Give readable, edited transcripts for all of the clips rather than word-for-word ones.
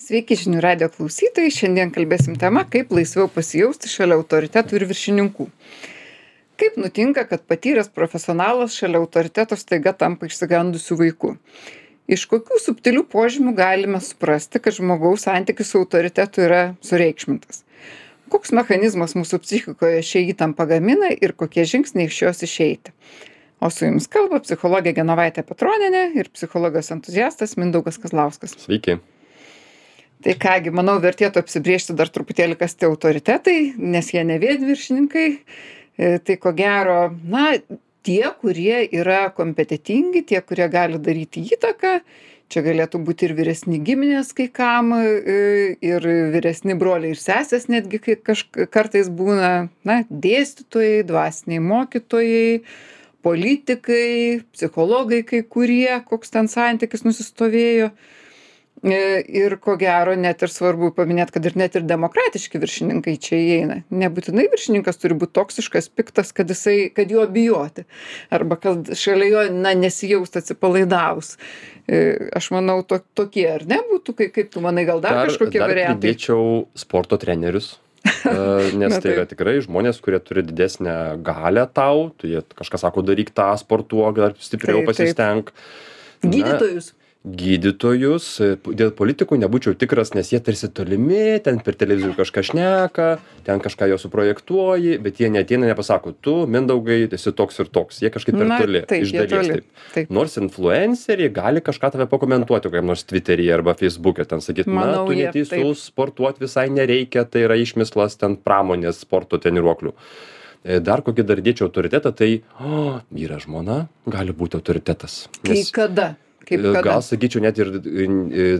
Sveiki žinių radijo klausytojai, šiandien kalbėsim tema, kaip laisviau pasijausti šalia autoritetų ir viršininkų. Kaip nutinka, kad patyręs profesionalas šalia autoriteto staiga tampa išsigandusiu vaiku? Iš kokių subtilių požymių galime suprasti, kad žmogaus santykis su autoritetu yra sureikšmintas? Koks mechanizmas mūsų psichikoje šią įtampą gamina ir kokie žingsniai iš jos išeiti? O su jumis kalba psichologė Genovaitė Petronienė ir psichologijos entuziastas Mindaugas Kazlauskas. Sveiki. Tai kągi, manau, vertėtų apsibriežti dar truputėlį, kas tie autoritetai, nes jie ne vien viršininkai. Tai ko gero, tie, kurie yra kompetentingi, tie, kurie gali daryti įtaką. Čia galėtų būti ir vyresni giminės kai kam, ir vyresni broliai ir sesės netgi kartais būna, dėstytojai, dvasiniai mokytojai, politikai, psichologai kai kurie, koks ten santykis nusistovėjo. Ir ko gero net ir svarbu paminėti, kad ir net ir demokratiški viršininkai čia įeina. Nebūtinai viršininkas turi būti toksiškas, piktas, kad jo bijoti. Arba kad šalia jo nesijausti atsipalaidavus. Aš manau, tokie ar ne būtų, kaip tu manai, gal dar kažkokie variantai? Dar pridėčiau sporto trenerius. Nes tai yra tikrai žmonės, kurie turi didesnę galią tau. Tu jie kažką sako, daryk tą, sportuok, dar stipriau pasistenk. Gydytojus, dėl politikų nebūčiau tikras, nes jie tarsi tolimi, ten per televizorių kažką šneka, ten kažką jo suprojektuoji, bet jie neateina, nepasako, tu, Mindaugai, esi toks ir toks, jie kažkaip per toli, iš dalies taip. Nors influenceriai gali kažką tave pakomentuoti, kokiam nors Twitteryje arba Facebook'e, ten sakyt, tu neteisus, sportuoti visai nereikia, tai yra išmislas ten pramonės sporto treniruoklių. Dar kokį dar dėčiau autoritetą, tai vyras žmona gali būti autoritetas. Kada? Gal sakyčiau net ir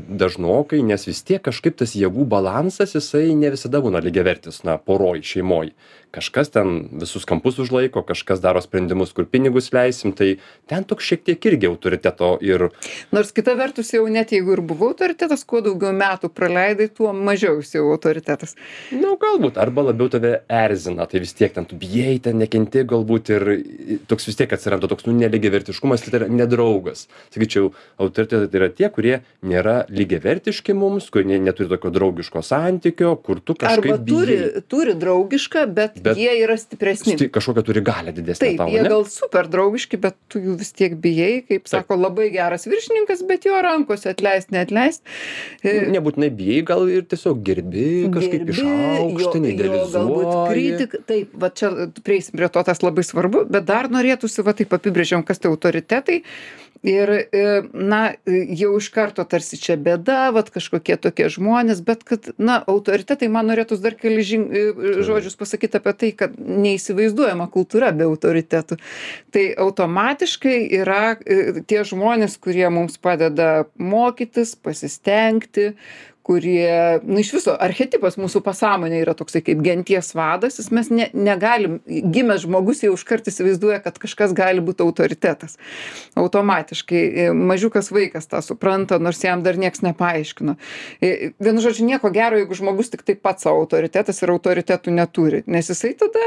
dažnokai, nes vis tiek kažkaip tas jėgų balansas, jisai ne visada būna lygiavertis, poroj, šeimoj. Kažkas ten visus kampus užlaiko, kažkas daro sprendimus, kur pinigus leisim, tai ten toks šiek tiek irgi autoriteto ir... Nors kita vertus jau net jeigu ir buvo autoritetas, kuo daugiau metų praleidai, tuo mažiau jis jau autoritetas. Galbūt, arba labiau tave erzina, tai vis tiek ten tu bijai, ten nekenti galbūt ir toks vis tiek atsiranda toks nelygiavertiškumas, tai yra nedraugas. Sakyčiau, autoritetai tai yra tie, kurie nėra lygiavertiški mums, kurie neturi tokio draugiško santykio, kur tu kažkaip bijai. Arba turi draugišką, bet jie yra stipresni. Kažkokią turi galią didesnę tau, ne? Taip, jie gal super draugiški, bet tu jų vis tiek bijai, kaip sako, labai geras viršininkas, bet jo rankose atleist, neatleist. Nebūtinai bijai, gal ir tiesiog gerbi, kažkaip išaukštinai, idealizuoji. Taip, va čia prieisim prie to, tas labai svarbu, bet dar norėtųsi, va taip apibrėžiam, kas tai autoritetai. Ir, jau iš karto tarsi čia bėda, kažkokie tokie žmonės, bet kad, autoritetai, man norėtųs dar keli žodžius pasakyti apie tai, kad neįsivaizduojama kultūra be autoritetų. Tai automatiškai yra tie žmonės, kurie mums padeda mokytis, pasistengti, kurie, iš viso, archetipas mūsų pasąmonė yra toksai kaip genties vadas, mes negalim, gimęs žmogus jau iškart įsivaizduoja, kad kažkas gali būti autoritetas. Automatiškai, mažiukas vaikas tą supranta, nors jam dar nieks nepaaiškino. Vienu žodžiu, nieko gero, jeigu žmogus tik tai pats savo autoritetas ir autoritetų neturi, nes jisai tada,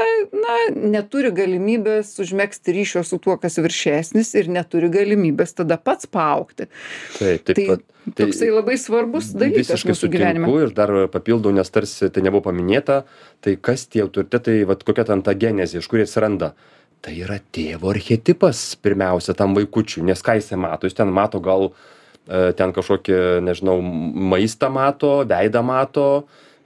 neturi galimybės užmegzti ryšio su tuo, kas viršesnis ir neturi galimybės tada pats paaugti. Taip. Toksai labai svarbus dalykas mūsų gyvenime. Visiškai sutinku ir dar papildau, nes tarsi tai nebuvo paminėta, tai kas tie autoritetai, kokia ten ta genezė, iš kur jie atsiranda. Tai yra tėvo archetipas pirmiausia tam vaikučiui, nes ką jisai mato, jis ten mato gal ten kažkokį, nežinau, maistą mato, veidą mato,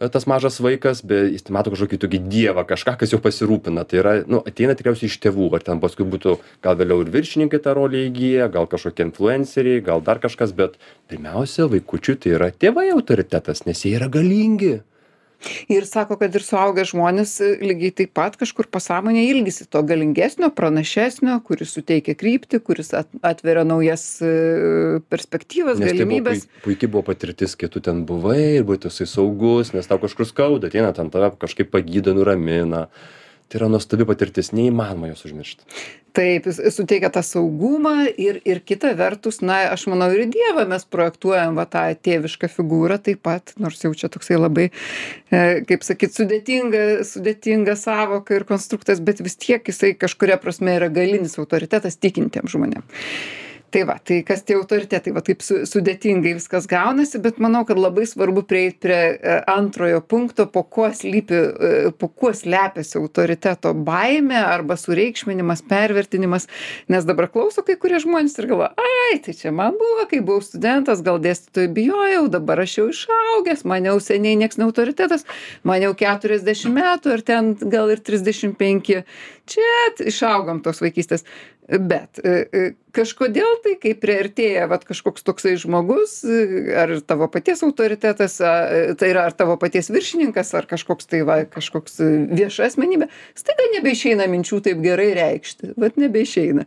tas mažas vaikas, bet jis mato kažkokį tokį dievą, kažką, kas jau pasirūpina. Tai yra, ateina tikriausiai iš tėvų, ar ten paskui būtų gal vėliau ir viršininkai tą rolę įgyja, gal kažkokie influenceriai, gal dar kažkas, bet pirmiausia, vaikučiui tai yra tėvai autoritetas, nes jie yra galingi. Ir sako, kad ir suaugę žmonės lygiai taip pat kažkur pasąmonė ilgisi to galingesnio, pranašesnio, kuris suteikia kryptį, kuris atveria naujas perspektyvas, galimybės. Nes tai puikiai buvo patirtis, kai tu ten buvai ir buvai tasai saugus, nes tau kažkur skauda, ateina ten tave kažkaip pagydo, nuramina. Tai yra nuostabi patirtis, neįmanoma jos užmiršti. Taip, jis suteikia tą saugumą ir kita vertus, aš manau, ir į Dievą mes projektuojam tą tėvišką figūrą taip pat, nors jau čia toksai labai, kaip sakyt, sudėtinga savoka ir konstruktas, bet vis tiek jisai kažkuria prasme yra galinis autoritetas tikintiem žmonėm. Tai va, tai kas tie autoritetai, va taip sudėtingai viskas gaunasi, bet manau, kad labai svarbu prieiti prie antrojo punkto, po kuo slepiasi autoriteto baimė arba sureikšminimas, pervertinimas, nes dabar klauso kai kurie žmonės ir galvoja, ai, tai čia man buvo, kai buvau studentas, gal dėstytojai bijojau, dabar aš jau išaugęs, man jau seniai nieks ne autoritetas, man jau 40 metų ar ten gal ir 35, čia išaugom tos vaikystės. Bet kažkodėl tai, kai priartėja vat, kažkoks toksai žmogus, ar tavo paties autoritetas, tai yra ar tavo paties viršininkas, ar kažkoks tai va, kažkoks vieša asmenybė, staiga nebeišeina minčių taip gerai reikšti, vat nebeišeina.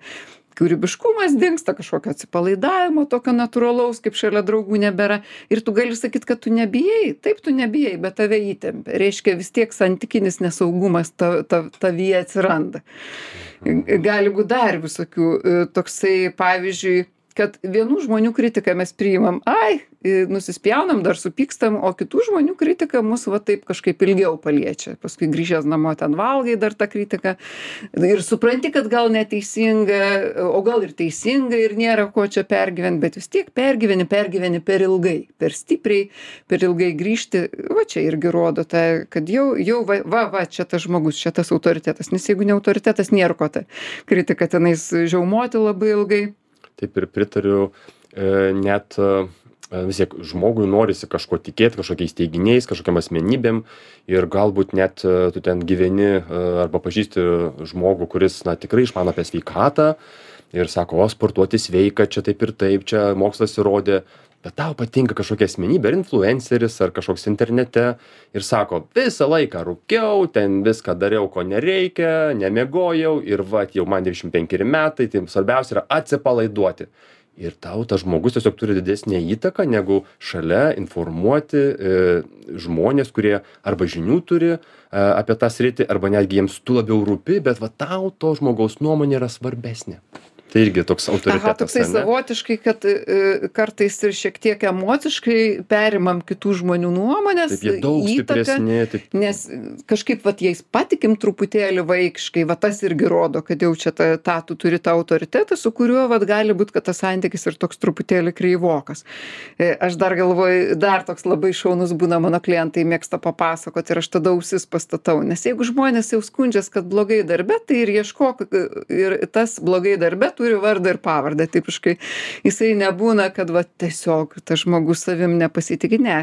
Kūrybiškumas dingsta, kažkokio atsipalaidavimo, tokio natūralaus, kaip šalia draugų nebėra. Ir tu gali sakyti, kad tu nebijai, taip tu nebijai, bet tave įtempia. Reiškia, vis tiek santykinis nesaugumas tavyje atsiranda. Gali būti dar visokių toksai, pavyzdžiui, kad vienų žmonių kritiką mes priimam, nusispjaunam, dar supykstam, o kitų žmonių kritika mus va taip kažkaip ilgiau paliečia. Paskui grįžęs namo ten valgai dar tą kritiką ir supranti, kad gal neteisinga, o gal ir teisinga ir nėra ko čia pergyventi, bet vis tiek pergyveni per ilgai, per stipriai, per ilgai grįžti. Va čia irgi rodo tą, kad jau čia tas žmogus, čia tas autoritetas, nes jeigu ne autoritetas, nėra ko tą kritiką tenais žiaumoti labai ilgai. Taip ir pritariu, net vis tiek žmogui norisi kažko tikėti, kažkokiais teiginiais, kažkokiam asmenybėm ir galbūt net tu ten gyveni arba pažįsti žmogų, kuris tikrai išmano apie sveikatą ir sako, o sportuoti sveika, čia taip ir taip, čia mokslas įrodė, bet tau patinka kažkokia asmenybė, ar influenceris, ar kažkoks internete ir sako, visą laiką rūkiau, ten viską dariau, ko nereikia, nemiegojau ir jau man 95 metai, tai svarbiausia yra atsipalaiduoti. Ir tau tas žmogus tiesiog turi didesnę įtaką, negu šalia informuoti žmonės, kurie arba žinių turi apie tą sritį, arba netgi jiems tu labiau rūpi, bet va tau to žmogaus nuomonė yra svarbesnė. Tai irgi toks autoritetas. Toksai savotiškai, kad kartais ir šiek tiek emociškai perimam kitų žmonių nuomonės, taip, jie daug stipresni, nes kažkaip jais patikim truputėlį vaikiškai, tas irgi rodo, kad jau čia tu turi tą autoritetą, su kuriuo gali būti, kad tas santykis ir toks truputėlį kreivokas. Aš dar galvoju, dar toks labai šaunus būna, mano klientai mėgsta papasakoti ir aš tada ausis pastatau, nes jeigu žmonės jau skundžias, kad blogai darbe, tai ir ieškok, ir tas blogai darbe turi vardą ir pavardę, tipiškai. Jisai nebūna, kad tiesiog tas žmogus savim nepasitikė, ne.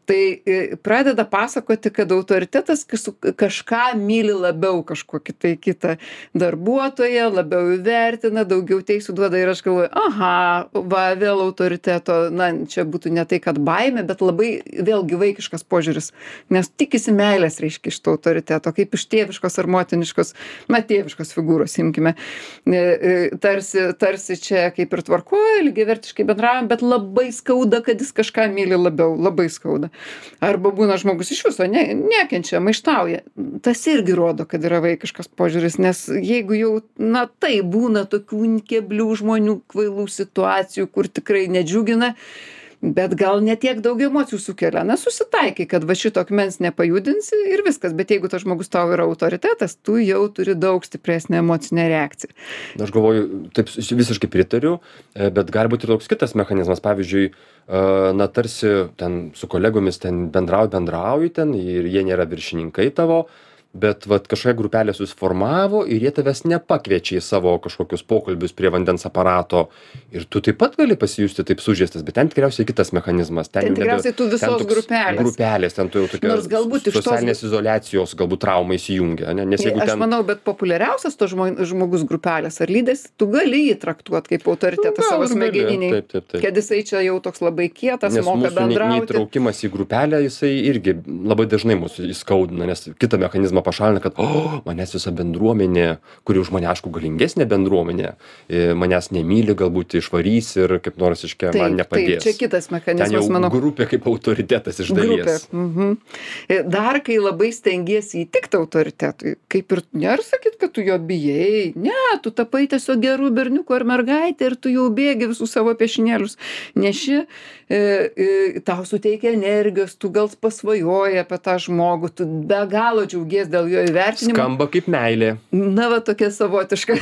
Tai pradeda pasakoti, kad autoritetas kažką myli labiau, kažkokį tai kitą darbuotoją, labiau įvertina, daugiau teisų duoda ir aš galvoju, vėl autoriteto, čia būtų ne tai, kad baimė, bet labai vėlgi vaikiškas požiūris, nes tikisi meilės, reiškia, iš to autoriteto, kaip iš tėviškos ar motiniškos, tėviškos figūros, imkime, tarsi čia kaip ir tvarkoja, lygiavertiškai bendraujam, bet labai skauda, kad jis kažką myli labiau, labai skauda. Arba būna žmogus iš viso nekenčia, maištauja. Tas irgi rodo, kad yra vaikiškas požiūris, nes jeigu jau, tai būna tokių keblių žmonių, kvailų situacijų, kur tikrai nedžiugina, bet gal ne tiek daug emocijų sukelia. Susitaikai, kad šito akmens nepajudinsi ir viskas, bet jeigu tas žmogus tau yra autoritetas, tu jau turi daug stipresnę emocinę reakciją. Aš galvoju, taip visiškai pritariu, bet gali būti ir toks kitas mechanizmas. Pavyzdžiui, tarsi ten su kolegomis ten bendrauji ten ir jie nėra viršininkai tavo, bet kažkokia grupelė susiformavo ir jie tavęs nepakviečia į savo kažkokius pokalbius prie vandens aparato ir tu taip pat gali pasijusti taip sužeistas, bet ten tikriausiai kitas mechanizmas. Ten tikriausiai tu visos grupelės, ten tu jau tokia socialinės izoliacijos galbūt trauma įsijungia. Aš manau, bet populiariausias to žmogus grupelės ar lydės, tu gali jį traktuoti kaip autoritetą savo smegeniniai, kad jisai čia jau toks labai kietas, moka bendrauti. Nes mūsų neįtraukimas į grupelę, jisai irgi labai dažnai mūsų įskaudina, nes kitą mechanizmą pašalina, kad manęs visa bendruomenė, kuri už mane, aišku, galingesnė bendruomenė, manęs nemyli, galbūt išvarys ir kaip nors man nepadės. Taip, čia kitas mechanizmas, manau. Grupė kaip autoritetas iš dalies. Dar kai labai stengiesi įtikti autoritetui, kaip ir nėra sakyt, kad tu jo bijai, ne, tu tapai tiesiog gerų berniukų ar mergaitė ir tu jau bėgi visus savo piešinėlius neši, tau suteikia energijos, tu gal pasvajoji apie tą žmogų, tu be galo džiaugies baimės dėl jo įvertinimo. Skamba kaip meilė. Na, va, tokia savotiška.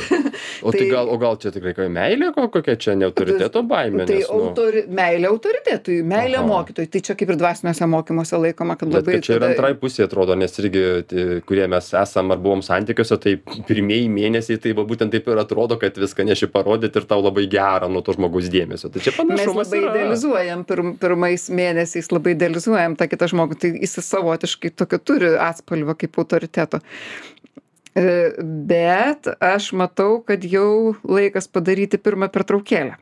O gal čia tikrai meilė, kokia čia ne autoriteto baimė? Tai Nes, meilė autoritetui, meilė mokytojui. Tai čia kaip ir dvasiniuose mokymuose laikoma, kad bet labai... kad čia ir antrai pusė atrodo, nes irgi, kurie mes esam ar buvom santykiuose, tai pirmieji mėnesiai, tai va, būtent taip ir atrodo, kad viską neši parodyti ir tau labai gera nuo to žmogaus dėmesio. Tai čia panašumas mes labai idealizuojam, pirmais mėnesiais labai idealizuojam tą kitą žmogų, tai jis savotiškai tokio turi atspalvio kaip autoriteto. Bet aš matau, kad jau laikas padaryti pirmą pertraukėlę.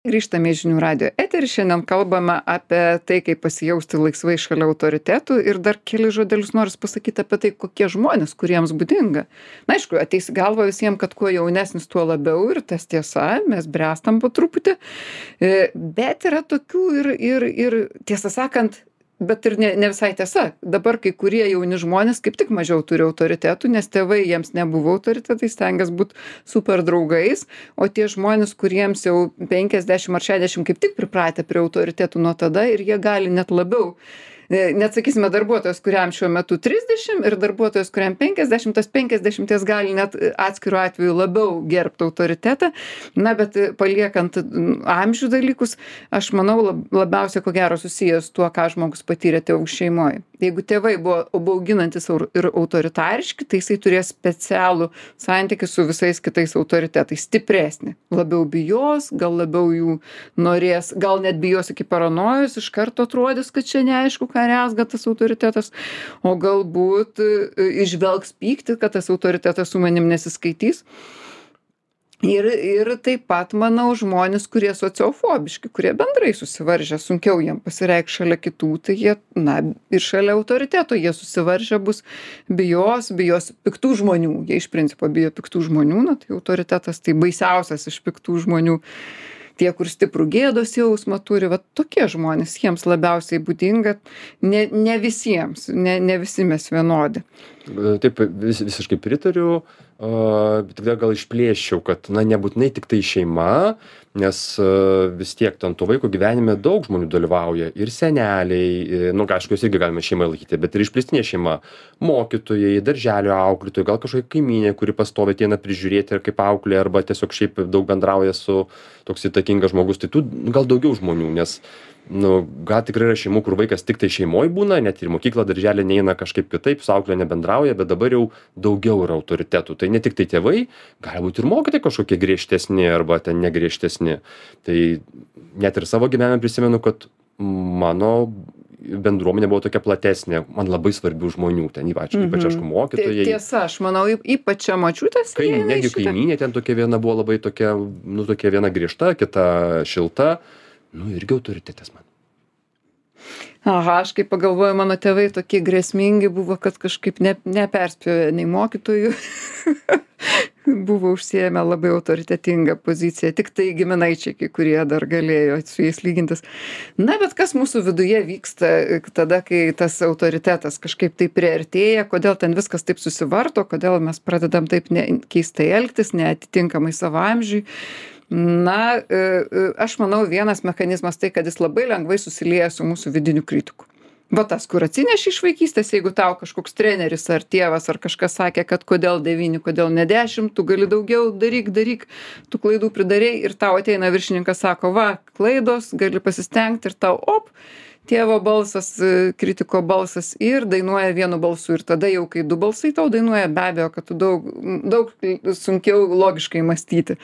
Grįžtame į Žinių radijo eterį, šiandien kalbame apie tai, kaip pasijausti laisvai šalia autoritetų ir dar keli žodelius noriu pasakyti apie tai, kokie žmonės, kuriems būdinga. Na, aišku, ateis į galvą visiems, kad kuo jaunesnis, tuo labiau ir tas tiesa, mes bręstam po truputį, bet yra tokių ir tiesą sakant, bet ir ne visai tiesa. Dabar kai kurie jauni žmonės kaip tik mažiau turi autoritetų, nes tėvai jiems nebuvo autoritetai, stengias būti super draugais, o tie žmonės, kuriems jau 50 ar 60 kaip tik pripratę prie autoritetų nuo tada ir jie gali net labiau. Net sakysime, darbuotojas, kuriam šiuo metu 30 ir darbuotojas, kuriam 50, tas 50 gali net atskiru atveju labiau gerbti autoritetą. Na, bet paliekant amžių dalykus, aš manau labiausiai ko gero susijęs tuo, ką žmogus patyrė tėvų šeimoje. Jeigu tėvai buvo bauginantis ir autoritariški, tai jisai turės specialų santykį su visais kitais autoritetais, stipresnį. Labiau bijos, gal labiau jų norės, gal net bijos iki paranojos, iš karto atrodys, kad čia neaišku, ką rezga tas autoritetas, o galbūt išvelgs pyktį, kad tas autoritetas su manim nesiskaitys. Ir taip pat, manau, žmonės, kurie sociofobiški, kurie bendrai susivaržę, sunkiau jiem pasireikš šalia kitų, tai jie, na, ir šalia autoriteto jie susivaržę bus, bijos piktų žmonių. Jie iš principo bijo piktų žmonių, na, tai autoritetas tai baisiausias iš piktų žmonių. Tie, kur stiprų gėdos jausmą turi, va tokie žmonės, jiems labiausiai būdinga, ne visiems, ne visi mes vienodi. Taip, visiškai pritariu, bet gal išplėščiau, kad, na, nebūtinai tik tai šeima, nes vis tiek ten to vaiko gyvenime daug žmonių dalyvauja, ir seneliai, nu, aišku, jos irgi galime šeimai laikyti, bet ir išplėstinė šeima, mokytojai, darželio auklėtojai, gal kažkokia kaimynė, kuri pastoviai ateina prižiūrėti ir kaip auklė, arba tiesiog šiaip daug bendrauja su toks įtakingas žmogus, tai tų gal daugiau žmonių, nes nu, gal tikrai yra šeimų, kur vaikas tik tai šeimoj būna, net ir mokyklą darželį neina kažkaip kitaip, su auklė nebendrauja, bet dabar jau daugiau yra autoritetų. Tai ne tik tai tėvai, gali būti ir mokytojai kažkokie griežtesni arba ten negriežtesni. Tai net ir savo gyvenime prisimenu, kad mano bendruomenė buvo tokia platesnė, man labai svarbių žmonių, ten ypač aišku mokytojai. Tiesa, aš manau, ypač čia močiutės. Negi kaimynė ten tokia viena buvo labai tokia, nu, tokia viena griežta, kita šilta. Nu, irgi autoritetas man. Aha, aš kaip pagalvoju, mano tėvai tokie grėsmingi buvo, kad kažkaip neperspėjo nei mokytojų. Buvo užsiėmę labai autoritetingą poziciją. Tik tai giminaičiai, kai kurie dar galėjo su jais lygintis. Na, bet kas mūsų viduje vyksta tada, kai tas autoritetas kažkaip taip priartėja, kodėl ten viskas taip susivarto, kodėl mes pradedam taip keistai elgtis, neatitinkamai savo amžiui. Na, aš manau, vienas mechanizmas tai, kad jis labai lengvai susilieja su mūsų vidiniu kritiku. Va tas, kur atsineši iš vaikystės, jeigu tau kažkoks treneris ar tėvas ar kažkas sakė, kad kodėl 9, kodėl ne 10, tu gali daugiau, daryk, tu klaidų pridarei ir tau ateina viršininkas, sako, va, klaidos, gali pasistengti ir tau, tėvo balsas, kritiko balsas ir dainuoja vienu balsu. Ir tada jau, kai 2 balsai tau dainuoja, be abejo, kad tu daug sunkiau logiškai mąstyti.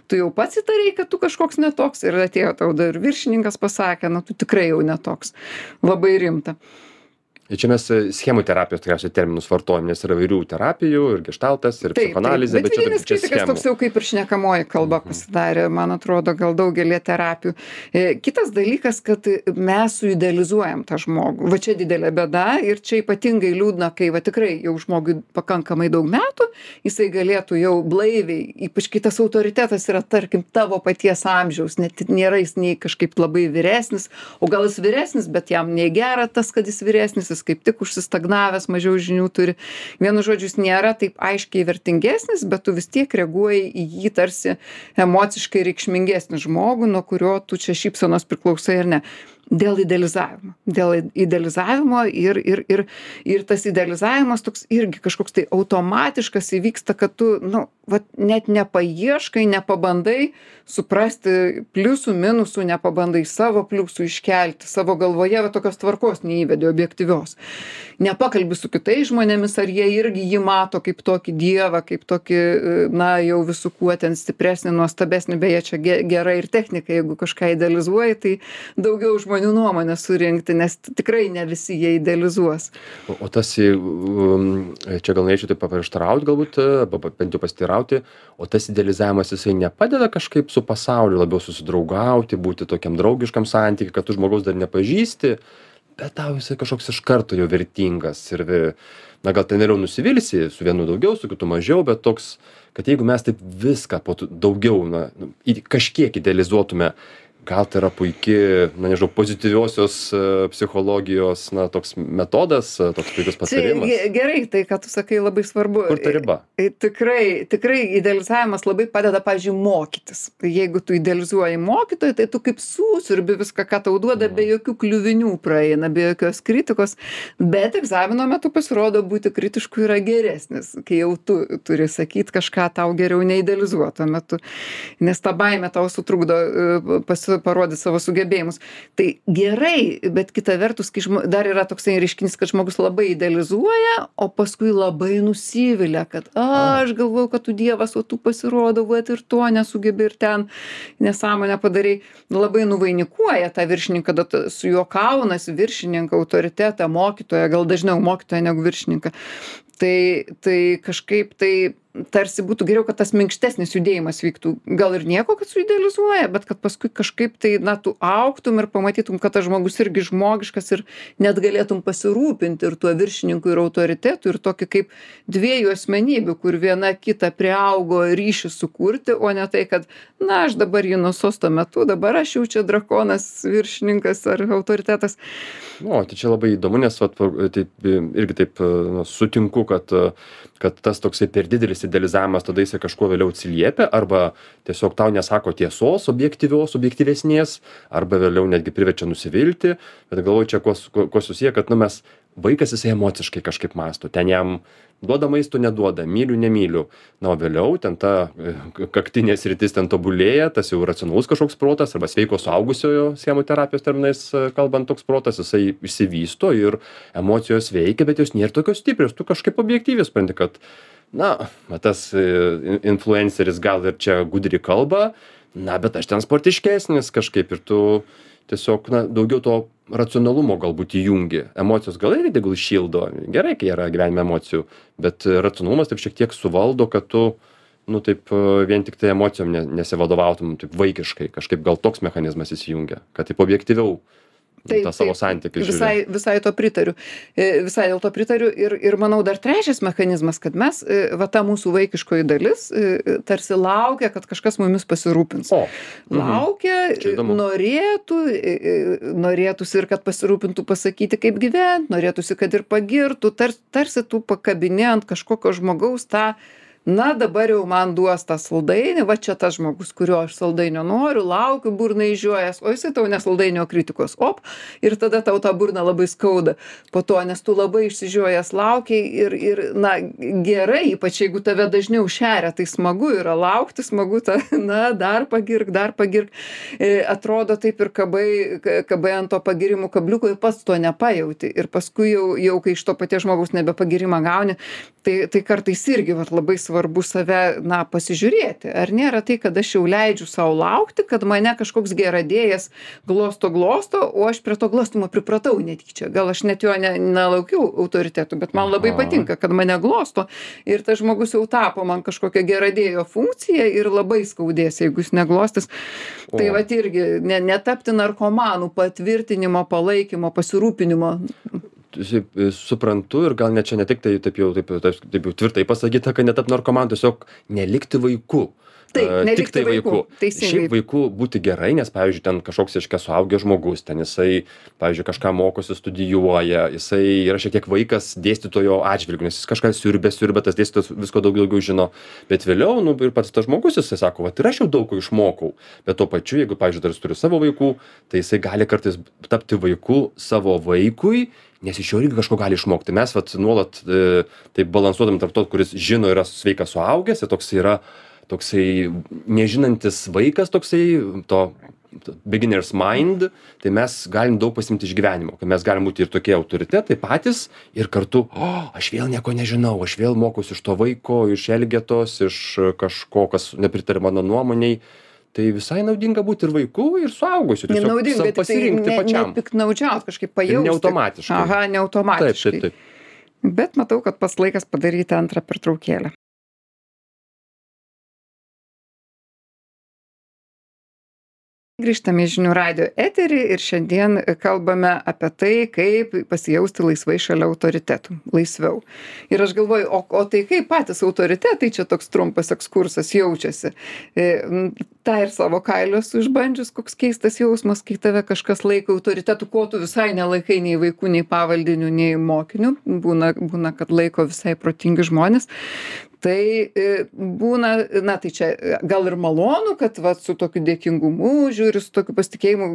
Tu jau pats įtarei, kad tu kažkoks netoks ir atėjo tau dar viršininkas pasakė, na, tu tikrai jau netoks. Labai rimta. Ir čia mes schemų terapijos tikriausiai terminus vartojam, nes yra įvairių terapijų, ir geštaltas, ir psichoanalizė, bet vidinis kritikas toks jau kaip ir šnekamoji kalba pasidarė, man atrodo, gal daugelį terapijų. Kitas dalykas, kad mes suidealizuojam tą žmogų. Va čia didelė bėda ir čia ypatingai liūdna, kai va tikrai jau žmogui pakankamai daug metų, jisai galėtų jau blaiviai, ypač kai tas autoritetas yra, tarkim, tavo paties amžiaus, net nėra jis nei kažkaip labai vyresnis, o gal jis vyresnis, bet jam nei gera tas, kad jis vyresnis, kaip tik užsistagnavęs, mažiau žinių turi. Vienu žodžiu, jis nėra taip aiškiai vertingesnis, bet tu vis tiek reaguoji į jį tarsi emociškai reikšmingesnį žmogų, nuo kurio tu čia šypsenos priklausai ar ne. Dėl idealizavimo. Dėl idealizavimo ir tas idealizavimas toks irgi kažkoks tai automatiškas įvyksta, kad tu, nu, vat, net nepaieškai, nepabandai suprasti pliusų, minusų, nepabandai savo pliusų iškelti, savo galvoje, va tokios tvarkos neįvedi objektyvios. Nepakalbi su kitais žmonėmis, ar jie irgi jį mato kaip tokį dievą, kaip tokį, na, jau visų kuo ten stipresnį, nuostabesnį, beje, čia gera ir technika, jeigu kažką idealizuoji, tai daugiau žmonių nuomonę surinkti, nes tikrai ne visi jie idealizuos. O tas, čia gal norėčiau taip paprieštarauti galbūt, bent jau pasiteirauti, o tas idealizavimas jisai nepadeda kažkaip su pasauliu labiau susidraugauti, būti tokiam draugiškam santykiui, kad tu žmogaus dar nepažįsti, bet tau jisai kažkoks iš karto jau vertingas ir, na gal ten vėliau nusivilsi, su vienu daugiau, su kitu mažiau, bet toks, kad jeigu mes taip viską daugiau, na, kažkiek idealizuotume, gal tai yra puikiai, na nežinau, pozityviosios psichologijos, na, toks metodas, toks puikus patarimas. Gerai, tai, ką tu sakai, labai svarbu. Kur ta riba? Tikrai idealizavimas labai padeda, pavyzdžiui, mokytis. Jeigu tu idealizuoji mokytoją, tai tu kaip susiurbi viską, ką tau duoda, be jokių kliuvinių praeina, be jokios kritikos, bet egzamino metu pasirodo būti kritišku yra geresnis, kai jau tu turi sakyti kažką tau geriau neidealizuoto metu, nes ta baimė tau sutrukdo parodyti savo sugebėjimus. Tai gerai, bet kita vertus, kai dar yra toksai reiškinys, kad žmogus labai idealizuoja, o paskui labai nusivilia, kad aš galvojau, kad tu dievas, o tu pasirodo, vat ir to nesugebi ir ten nesąmonę padarai. Labai nuvainikuoja tą viršininką, kada su juo kaunasi viršininką, autoritetą, mokytoją, gal dažniau mokytoją negu viršininką. Tai kažkaip tai tarsi būtų geriau, kad tas minkštesnis judėjimas vyktų. Gal ir nieko, kad suidealizuoja, bet kad paskui kažkaip tai, na, tu augtum ir pamatytum, kad tas žmogus irgi žmogiškas ir net galėtum pasirūpinti ir tuo viršininku ir autoritetu ir tokį kaip dviejų asmenybių, kur viena kita priaugo ryšį sukurti, o ne tai, kad, na, aš dabar jį nuo sosto metu, dabar aš jau čia drakonas, viršininkas ar autoritetas. O, tai čia labai įdomu, nes vat, taip, irgi taip sutinku, kad tas toksai per didelis idealizavimas tada jisai kažkuo vėliau atsiliepia arba tiesiog tau nesako tiesos objektyvesnės arba vėliau netgi priverčia nusivilti, bet galvoju čia kuo susiję, kad nu mes vaikas jisai emociškai kažkaip mąsto, ten jam duoda maisto, neduoda, myliu, nemyliu, na o vėliau ten ta kaktinė sritis ten tobulėja, tas jau racionalus kažkoks protas arba sveiko suaugusiojo schemų terapijos terminais kalbant toks protas, jisai išsivysto ir emocijos veikia, bet jos nėra tokios stiprios, tu kažkaip objektyviai supranti, kad na, tas influenceris gal ir čia gudri kalba, na, bet aš ten sportiškesnis kažkaip ir tu tiesiog, na, daugiau to racionalumo galbūt įjungi. Emocijos gal irgi tegul šildo, gerai, kai yra gyvenime emocijų, bet racionalumas taip šiek tiek suvaldo, kad tu, nu, taip vien tik tai emocijom nesivadovautum taip vaikiškai, kažkaip gal toks mechanizmas įsijungia, kad taip objektyviau tą savo santykį žiūri. Visai to pritariu. Visai dėl to pritariu. Ir manau dar trečias mechanizmas, kad mes, va ta mūsų vaikiškoji dalis, tarsi laukia, kad kažkas mumis pasirūpins. Laukia, norėtųsi ir kad pasirūpintų pasakyti, kaip gyventi, norėtųsi, kad ir pagirtų, tarsi tu pakabini ant kažkokio žmogaus tą, na, dabar jau man duos tą saldainį, va čia tas žmogus, kurio aš saldainio noriu, laukiu burną išžiojęs, o jisai tau ne saldainio kritikos, ir tada tau tą burną labai skauda po to, nes tu labai išsižiojęs laukiai ir, na, gerai, ypač jeigu tave dažniau šeria, tai smagu yra laukti, smagu tą, na, dar pagirk, atrodo taip ir kabai ant to pagirimų kabliuko ir pats to nepajauti ir paskui jau kai iš to paties žmogaus nebepagirimą gauni, tai kartais irgi vat, labai svarbu save, na, pasižiūrėti. Ar nėra tai, kad aš jau leidžiu savo laukti, kad mane kažkoks geradėjas glosto, o aš prie to glostumo pripratau netyčia. Gal aš net jo nelaukiau autoritetų, bet man labai patinka, kad mane glosto ir tas žmogus jau tapo man kažkokią geradėjo funkciją ir labai skaudės, jeigu jis neglostis. Tai vat irgi netapti narkomanų patvirtinimo, palaikymo, pasirūpinimo. Suprantu ir gal net čia ne tik tai taip jau tvirtai pasakyta, kad netap narkomanu, tiesiog nelikti vaiku. Taip, nelikti tiktai vaiku. vaiku. Teisingai. Šiaip vaiku būti gerai, nes, pavyzdžiui, ten kažkoks reiškia suaugęs žmogus, ten jisai, pavyzdžiui, kažką mokosi, studijuoja, jisai yra šiek tiek vaikas dėstytojo atžvilgiu, nes jis kažką siurbia, tas dėstytojas visko daugiau žino. Bet vėliau, nu, ir pats tas žmogus, jisai sako, va, ir aš jau daug ko išmokau. Bet tuo pačiu, jeigu, pavyzdžiui, dar jis turi savo vaikų, tai jisai gali kartais tapti vaiku savo vaikui, nes iš jo irgi kažko gali išmokti. Mes vat nuolat taip balansuodami tarp to, kuris žino, yra sveikas suaugęs, ir toksai nežinantis vaikas, toksai to beginner's mind, tai mes galim daug pasimti iš gyvenimo, kad mes galim būti ir tokie autoritetai patys ir kartu, aš vėl nieko nežinau, aš vėl mokusi iš to vaiko, iš elgetos, iš kažko, kas nepritarė mano nuomoniai. Tai visai naudinga būti ir vaiku, ir suaugusiu. Nenaudinga, pasirinkti pačiam. Nepiknaudžiaut, kažkaip pajausti. Neautomatiškai. Aha, neautomatiškai. Taip. Bet matau, kad pats laikas padaryti antrą pertraukėlę. Grįžtame į žinių radijo eterį ir šiandien kalbame apie tai, kaip pasijausti laisvai šalia autoritetų, laisviau. Ir aš galvoju, o tai kaip patys autoritetai, čia toks trumpas ekskursas, jaučiasi. Ta ir savo kailio esu išbandžius, koks keistas jausmas, kai tave kažkas laiko autoritetu, ko tu visai nelaikai nei vaikų, nei pavaldinių, nei mokinių. Būna, kad laiko visai protingi žmonės. Tai būna, na tai čia gal ir malonu, kad va, su tokiu dėkingumu žiūri, su tokiu pasitikėjimu,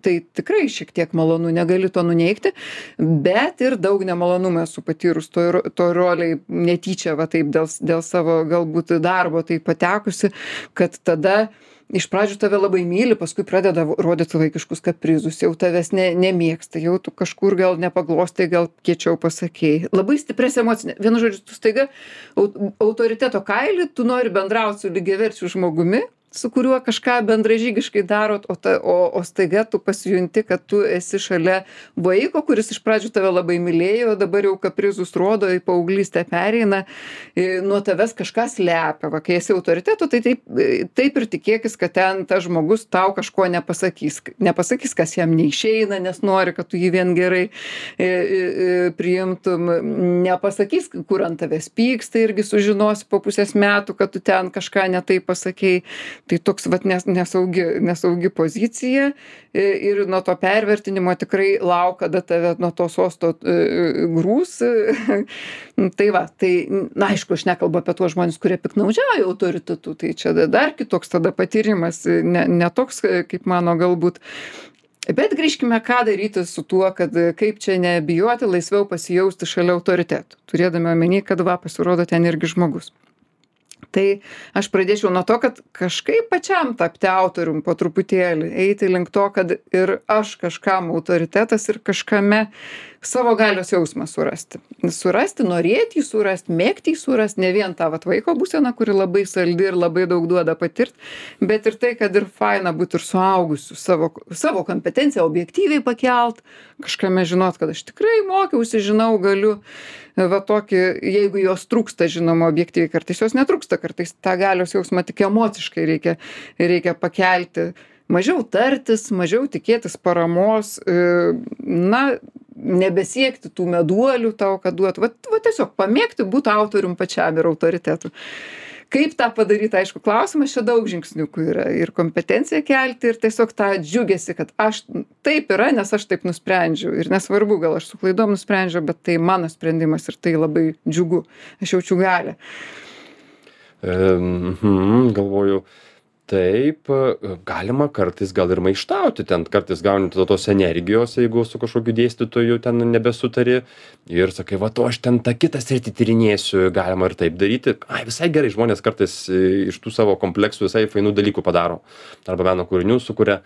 tai tikrai šiek tiek malonu, negali to nuneigti, bet ir daug nemalonumų esu patyrus to roliai netyčia, va taip dėl savo galbūt darbo tai patekusi, kad tada iš pradžių tave labai myli, paskui pradeda rodyti vaikiškus kaprizus, jau tavęs nemėgsta, jau tu kažkur gal nepaglostai, gal kiečiau pasakėjai. Labai stiprias emocinė. Vienu žodžiu, tu staiga autoriteto kailį, tu nori bendrauti su lygiaverčiu žmogumi, su kuriuo kažką bendražygiškai darot, o staiga tu pasijunti, kad tu esi šalia vaiko, kuris iš pradžių tave labai mylėjo, dabar jau kaprizus rodo, į paauglystę pereina, nuo tavęs kažką slepia. Va, kai esi autoritetu, tai taip ir tikėkis, kad ten tas žmogus tau kažko nepasakys. Nepasakys, kas jam neišeina, nes nori, kad tu jį vien gerai priimtum. Nepasakys, kur ant tavęs pyksta, irgi sužinosi po pusės metų, kad tu ten kažką ne taip pasakei. Tai toks vat nesaugi pozicija ir nuo to pervertinimo tikrai lauk, kada tave nuo to sosto grūs. Tai va, tai, na, aišku, aš nekalbu apie tuos žmonės, kurie piknaudžiauja autoritetu, tai čia dar kitoks tada patyrimas, ne toks, kaip mano galbūt. Bet grįžkime, ką daryti su tuo, kad kaip čia nebijoti, laisviau pasijausti šalia autoritetų, turėdami omeny, kad va, pasirodo ten irgi žmogus. Tai aš pradėčiau nuo to, kad kažkaip pačiam tapti autorium po truputėlį, eiti link to, kad ir aš kažkam autoritetas ir kažkame savo galios jausmą surasti. Surasti, norėti jį surasti, mėgti jį surasti, ne vien tą vat vaiko būseną, kuri labai saldi ir labai daug duoda patirti, bet ir tai, kad ir faina būti ir suaugusiu, savo kompetenciją objektyviai pakelt, kažkame žinot, kad aš tikrai mokiausi, žinau, galiu, va tokį, jeigu jos trūksta, žinoma, objektyviai, kartais jos netrūksta, kartais tą galios jausmą tik emociškai reikia pakelti, mažiau tartis, mažiau tikėtis paramos, na, nebesiekti tų meduolių tau, kad duotų, va tiesiog pamėgti būti autorium pačiam ir autoritetu. Kaip tą padaryti, aišku, klausimas, čia daug žingsniukų yra ir kompetenciją kelti ir tiesiog tą džiugesi, kad aš taip yra, nes aš taip nusprendžiau ir nesvarbu, gal aš su klaidom nusprendžiau, bet tai mano sprendimas ir tai labai džiugu, aš jaučiu galią. Galvoju, taip, galima kartais gal ir maištauti, ten kartais gauni tos energijos, jeigu su kažkokiu dėstytoju ten nebesutari ir sakai, va, aš ten tą kitą sritį tyrinėsiu, galima ir taip daryti. Visai gerai, žmonės kartais iš tų savo kompleksų visai fainų dalykų padaro, arba meno kūrinių sukuria.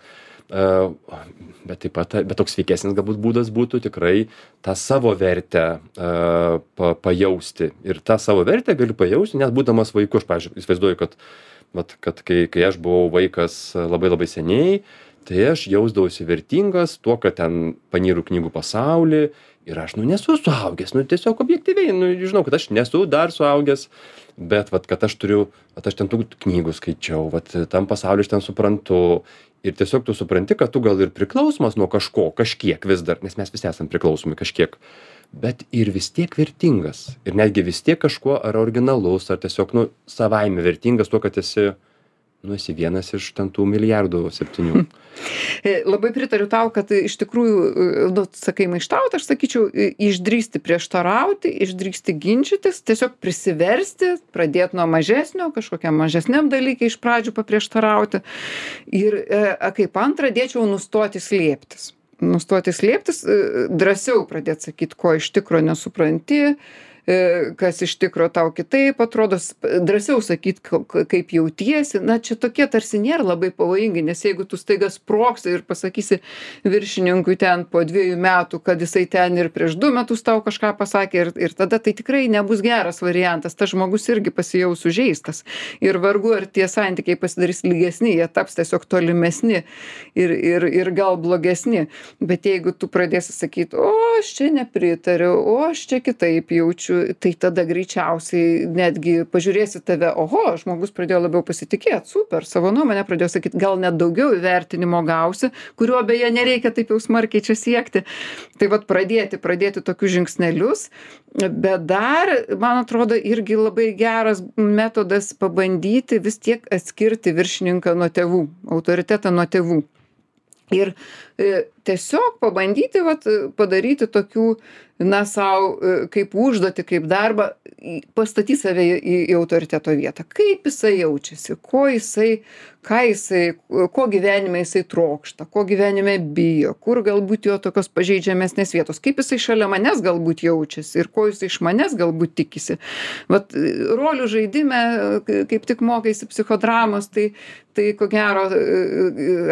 Bet taip pat, bet toks sveikesnis galbūt būdas būtų tikrai tą savo vertę pajausti. Ir tą savo vertę galiu pajausti, net būdamas vaiku. Aš, pavyzdžiui, įsivaizduoju, kad kai aš buvau vaikas labai labai seniai, tai aš jausdavausi vertingas tuo, kad ten panyru knygų pasaulį ir aš, nesu suaugęs, tiesiog objektyviai, žinau, kad aš nesu dar suaugęs, bet, kad aš ten tų knygų skaičiau, tam pasauliu aš ten suprantu. Ir tiesiog tu supranti, kad tu gal ir priklausomas nuo kažkiek vis dar, nes mes visi esam priklausomi kažkiek, bet ir vis tiek vertingas. Ir netgi vis tiek kažkuo ar originalus, ar tiesiog, savaime vertingas tuo, kad esi nu, esi vienas iš ten tų milijardų 7. Labai pritariu tau, kad iš tikrųjų, nu, sakai maištauti, aš sakyčiau, išdrįsti prieštarauti, išdrįsti ginčytis, tiesiog prisiversti, pradėti nuo mažesnio, kažkokiam mažesniam dalykai iš pradžių paprieštarauti. Ir kaip antrą dėčiau nustoti slėptis. Nustoti slėptis, drąsiau pradėti sakyti, ko iš tikro nesupranti, kas iš tikro tau kitaip atrodo, drąsiau sakyt, kaip jautiesi. Na, čia tokie tarsi nėra labai pavojingi, nes jeigu tu staiga sprogsi ir pasakysi viršininkui ten po 2 metų, kad jisai ten ir prieš 2 metus tau kažką pasakė ir tada tai tikrai nebus geras variantas. Tas žmogus irgi pasijaus sužeistas. Ir vargu, ar tie santykiai pasidarys lygesni, jie taps tiesiog tolimesni ir gal blogesni. Bet jeigu tu pradėsi sakyti, o aš čia nepritariu, o aš čia kitaip jaučiu, tai tada greičiausiai netgi pažiūrėsi tave, oho, žmogus pradėjo labiau pasitikėti, super, savo nuomonę pradėjo sakyti, gal net daugiau įvertinimo gausi, kurio beje nereikia taip jau smarkiai čia siekti. Tai vat pradėti tokius žingsnelius, bet dar, man atrodo, irgi labai geras metodas pabandyti vis tiek atskirti viršininką nuo tėvų, autoritetą nuo tėvų. Ir tiesiog pabandyti padaryti tokių, na, sau kaip užduotį, kaip darbą, pastatyti save į autoriteto vietą. Kaip jisai jaučiasi, ko gyvenime jisai trokšta, ko gyvenime bijo, kur galbūt jo tokios pažeidžiamesnės vietos, kaip jisai šalia manęs galbūt jaučiasi ir ko jisai iš manęs galbūt tikisi. Vat rolių žaidime, kaip tik mokaisi psichodramos, tai ko gero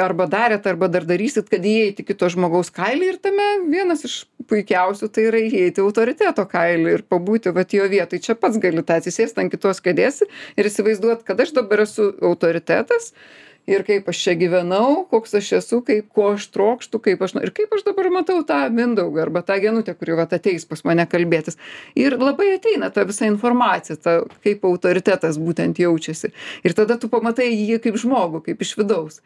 arba darėt, arba dar darysit, kad įeiti kito žmogaus kailį ir tame vienas iš puikiausių tai yra įeiti autoriteto kailį ir pabūti vat jo vietoj. Čia pats gali tą atsisėsti ant kitos kėdės ir įsivaizduoti, kad aš dabar esu autoritetas ir kaip aš čia gyvenau, koks aš esu, ko aš trokštu, ir kaip aš dabar matau tą Mindaugą arba tą Genutę, kuri vat ateis pas mane kalbėtis. Ir labai ateina ta visa informacija, kaip autoritetas būtent jaučiasi. Ir tada tu pamatai jį kaip žmogų, kaip iš vidaus.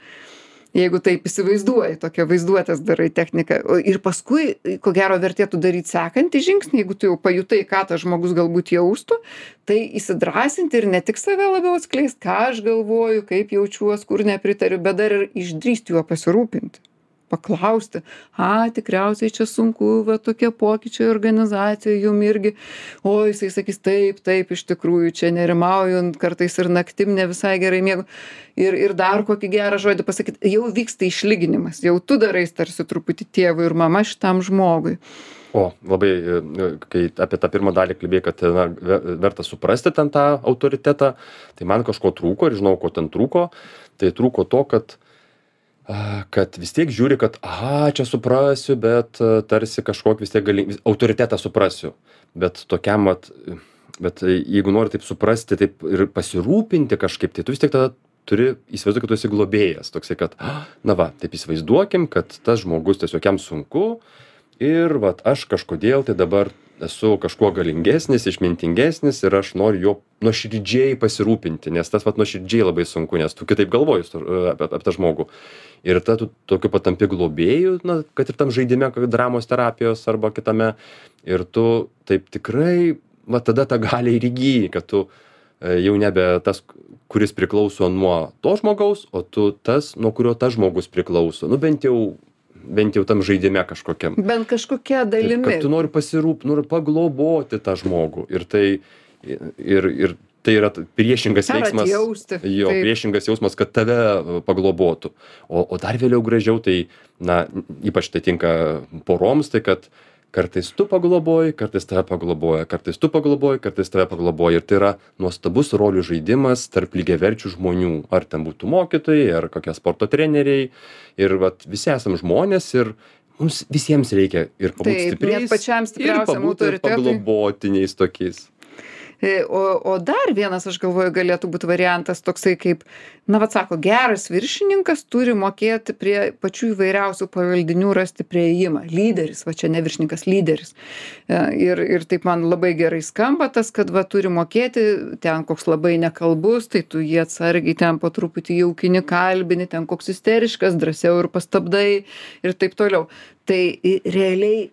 Jeigu taip įsivaizduoji, tokią vaizduotės darai techniką. Ir paskui, ko gero, vertėtų daryti sekantį žingsnį, jeigu tu jau pajutai, ką tas žmogus galbūt jaustų, tai įsidrąsinti ir ne tik save labiau atskleisti, ką aš galvoju, kaip jaučiuos, kur nepritariu, bet dar ir išdrįsti juo pasirūpinti. Paklausti, tikriausiai čia sunku, tokie pokyčiai organizacijoje jum irgi, o jisai sakys, taip, iš tikrųjų čia nerimauju, kartais ir naktim ne visai gerai miegu. Ir dar kokį gerą žodį pasakyti, jau vyksta išlyginimas, jau tu darai tarsi truputį tėvui ir mama šitam žmogui. O, labai, kai apie tą pirmą dalį kalbėjai, kad verta suprasti ten tą autoritetą, tai man kažko trūko ir žinau, ko ten trūko. Tai trūko to, kad vis tiek žiūri, kad, čia suprasiu, bet tarsi kažkokį vis tiek autoritetą suprasiu. Bet tokiam, bet jeigu nori taip suprasti, taip ir pasirūpinti kažkaip, tai tu vis tiek tada turi įsivaizduoti, kad tu esi globėjas. Toksai, kad, taip įsivaizduokim, kad tas žmogus tiesiog jam sunku ir aš kažkodėl tai dabar esu kažkuo galingesnis, išmintingesnis ir aš noriu jo nuoširdžiai pasirūpinti, nes tas nuoširdžiai labai sunku, nes tu kitaip galvoji apie tą žmogų. Ir tada tu tokiu patampi globėjų, kad ir tam žaidime, dramos terapijos arba kitame, ir tu taip tikrai, tada tą galią ir įgyji, kad tu jau nebe tas, kuris priklauso nuo to žmogaus, o tu tas, nuo kurio tas žmogus priklauso. Bent jau tam žaidime kažkokiam. Bent kažkokia dalimi. Kad tu nori nori pagloboti tą žmogų. Ir tai yra priešingas veiksmas. Atjausti. Jo, priešingas jausmas, kad tave paglobotų. O dar vėliau gražiau, tai, ypač tai tinka poroms, tai kad kartais tu pagloboji, kartais tave pagloboja, kartais tu pagloboji, kartais tave pagloboja. Ir tai yra nuostabus rolių žaidimas tarp lygiaverčių žmonių. Ar ten būtų mokytojai, ar kokie sporto treneriai. Ir visi esam žmonės ir mums visiems reikia ir pabūti stipriais, net pačiam stipriausiam ir pabūti paglobotiniais tokiais. O dar vienas, aš galvoju, galėtų būti variantas toksai kaip, sako, geras viršininkas turi mokėti prie pačių įvairiausių pavaldinių rasti prieėjimą. Lyderis, čia ne viršininkas, lyderis. Ir taip man labai gerai skamba tas, kad turi mokėti, ten koks labai nekalbus, tai tu jį atsargiai ten po truputį jaukini kalbini, ten koks isteriškas, drąsiau ir pastabdai ir taip toliau. Tai realiai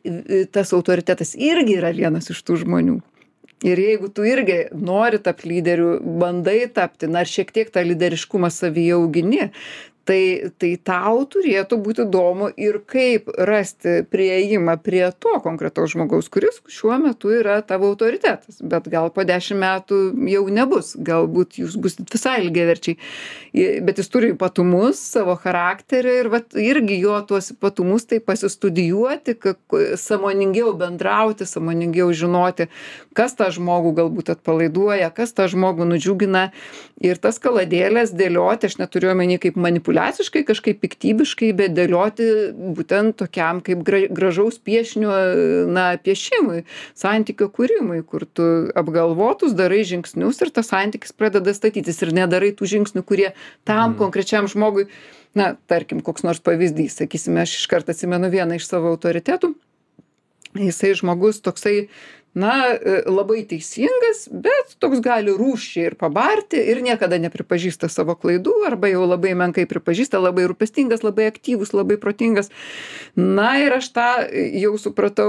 tas autoritetas irgi yra vienas iš tų žmonių. Ir jeigu tu irgi nori tapt lyderiu, bandai tapti, na ir šiek tiek tą lyderiškumą savyje augini, tai tau turėtų būt įdomu ir kaip rasti priėjimą prie to konkretaus žmogaus, kuris šiuo metu yra tavo autoritetas, bet gal po 10 metų jau nebus, galbūt jūs busit visai lygiaverčiai, bet jis turi ypatumus, savo charakterį ir vat irgi jo tuos ypatumus tai pasistudijuoti, sąmoningiau bendrauti, sąmoningiau žinoti, kas tą žmogų galbūt atpalaiduoja, kas tą žmogų nudžiugina ir tas kaladėlės dėlioti, aš neturiu omeny kaip manipuliaciškai, kažkaip piktybiškai, bet dėlioti būtent tokiam kaip gražaus piešinio, na, piešimui, santykio kūrimui, kur tu apgalvotus darai žingsnius ir tas santykis pradeda statytis ir nedarai tų žingsnių, kurie tam konkrečiam žmogui, na, tarkim, koks nors pavyzdys, sakysime, aš iškart atsimenu vieną iš savo autoritetų, jisai žmogus toksai, na, labai teisingas, bet toks gali rūsčiai ir pabarti ir niekada nepripažįsta savo klaidų arba jau labai menkai pripažįsta, labai rūpestingas, labai aktyvus, labai protingas. Na ir aš tą jau supratau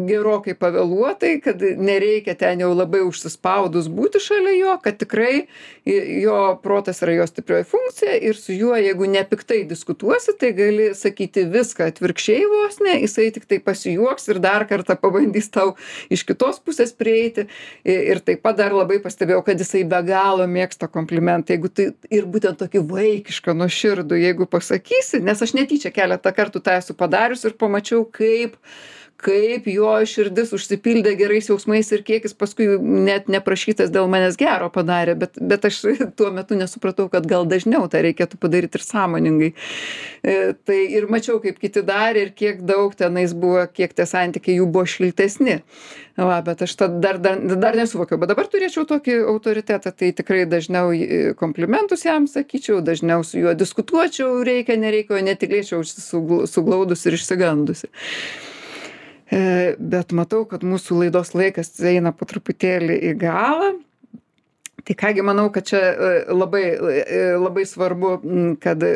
gerokai pavėluotai, kad nereikia ten jau labai užsispaudus būti šalia jo, kad tikrai jo protas yra jo stiprioji funkcija ir su juo, jeigu nepiktai diskutuosi, tai gali sakyti viską atvirkščiai vos ne, jisai tik tai pasijuoks ir dar kartą pabandys tau iš kitos pusės prieiti ir taip pat dar labai pastebėjau, kad jisai be galo mėgsta komplimentą, jeigu tai ir būtent tokį vaikišką, nuoširdų, jeigu pasakysi, nes aš netyčia keletą kartų tą esu padarius ir pamačiau, kaip jo širdis užsipildė gerais jausmais ir kiek jis paskui net neprašytas dėl manęs gero padarė, bet aš tuo metu nesupratau, kad gal dažniau tą reikėtų padaryti ir sąmoningai. Tai ir mačiau, kaip kiti darė ir kiek daug tenais buvo, kiek tie santykiai jų buvo šiltesni. Va, bet aš dar nesuvokiau, bet dabar turėčiau tokį autoritetą, tai tikrai dažniau komplimentus jam sakyčiau, dažniau su juo diskutuočiau, reikia, nereikia, o netilėčiau suglaudus ir išsigandusi. Bet matau, kad mūsų laidos laikas eina po truputėlį į galą. Tai kągi manau, kad čia labai svarbu, kad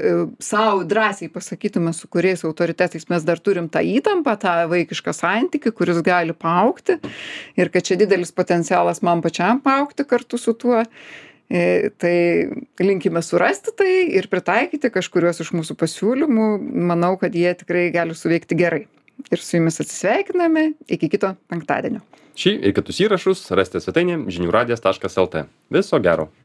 savo drąsiai pasakytume, su kuriais autoritetais mes dar turim tą įtampą, tą vaikišką santykį, kuris gali paaugti ir kad čia didelis potencialas man pačiam paaugti kartu su tuo. Tai linkime surasti tai ir pritaikyti kažkuriuos iš mūsų pasiūlymų. Manau, kad jie tikrai gali suveikti gerai. Ir su jumis atsisveikiname iki kito penktadienio. Šį ir kitus įrašus rasite svetainėje žiniųradijas.lt. Viso gero.